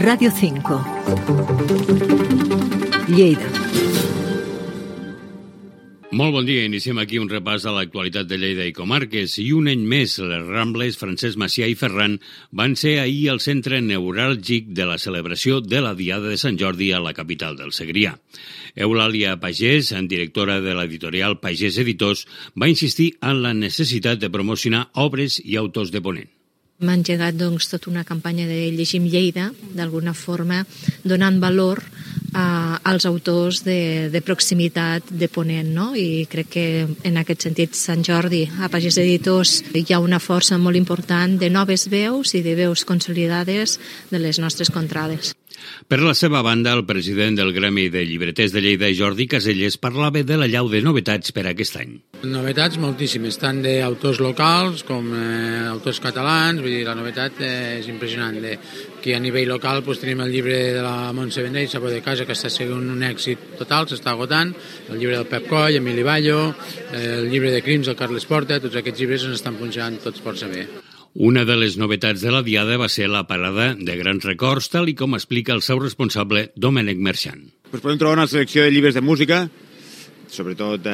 Radio 5. Lleida. Molt bon dia. Iniciem aquí un repàs de l'actualitat de Lleida i comarques. I un any més, les Rambles Francesc Macià i Ferran van ser ahir el centre neuràlgic de la celebració de la Diada de Sant Jordi a la capital del Segrià. Eulàlia Pagès, directora de l'editorial Pagès Editors, va insistir en la necessitat de promocionar obres i autors de Ponent. Hem engegat tota una campanya de Llegim Lleida, d'alguna forma donant valor als autors de proximitat de Ponent, no? I crec que en aquest sentit Sant Jordi a Pagès Editors hi ha una força molt important de noves veus i de veus consolidades de les nostres contrades. Per la seva banda, el president del Gremi de Llibreters de Lleida, Jordi Caselles, parlava de la llau de novetats per aquest any. Novetats moltíssimes, tant d'autors locals com autors catalans, vull dir, la novetat és impressionant. Aquí a nivell local tenim el llibre de la Montse Vendrell, Sabor de casa, que està sent un èxit total, s'està agotant, el llibre del Pep Coll, Emili Ballo, el llibre de Crims, el Carles Porta, tots aquests llibres ens estan punxant tots força bé. Una de les novetats de la Diada va ser la parada de grans records, tal i com explica el seu responsable, Domènec Merxant. Podem trobar una selecció de llibres de música, sobretot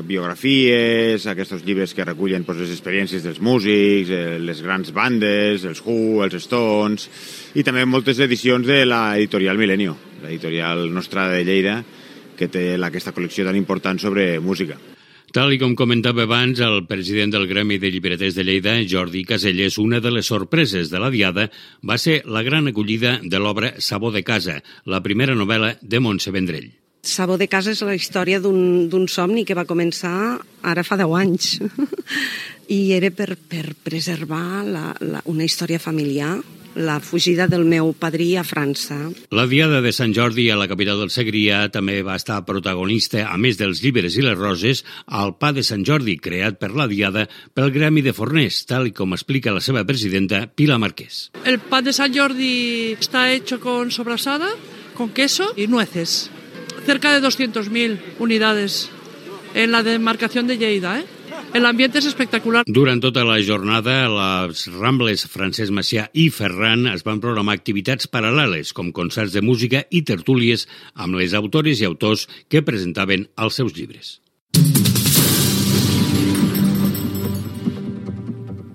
biografies, aquests llibres que recullen les experiències dels músics, les grans bandes, els Who, els Stones, i també moltes edicions de l'editorial Milenio, l'editorial nostra de Lleida, que té aquesta col·lecció tan important sobre música. Tal i com comentava abans el president del Gremi de Llibreters de Lleida, Jordi Caselles, una de les sorpreses de la Diada va ser la gran acollida de l'obra Sabor de casa, la primera novel·la de Montse Vendrell. Sabor de casa és la història d'un somni que va començar ara fa 10 anys i era per preservar una història familiar, la fugida del meu padrí a França. La Diada de Sant Jordi a la capital del Segrià també va estar protagonista, a més dels llibres i les roses, al Pa de Sant Jordi, creat per la Diada pel Gremi de Forners, tal com explica la seva presidenta, Pilar Marqués. El pan de San Jordi está hecho con sobrasada, con queso y nueces. Cerca de 200.000 unidades en la demarcación de Lleida, El ambiente es espectacular. Durant tota la jornada, les Rambles Francesc Macià i Ferran es van programar activitats paral·leles, com concerts de música i tertúlies amb les autores i autors que presentaven els seus llibres.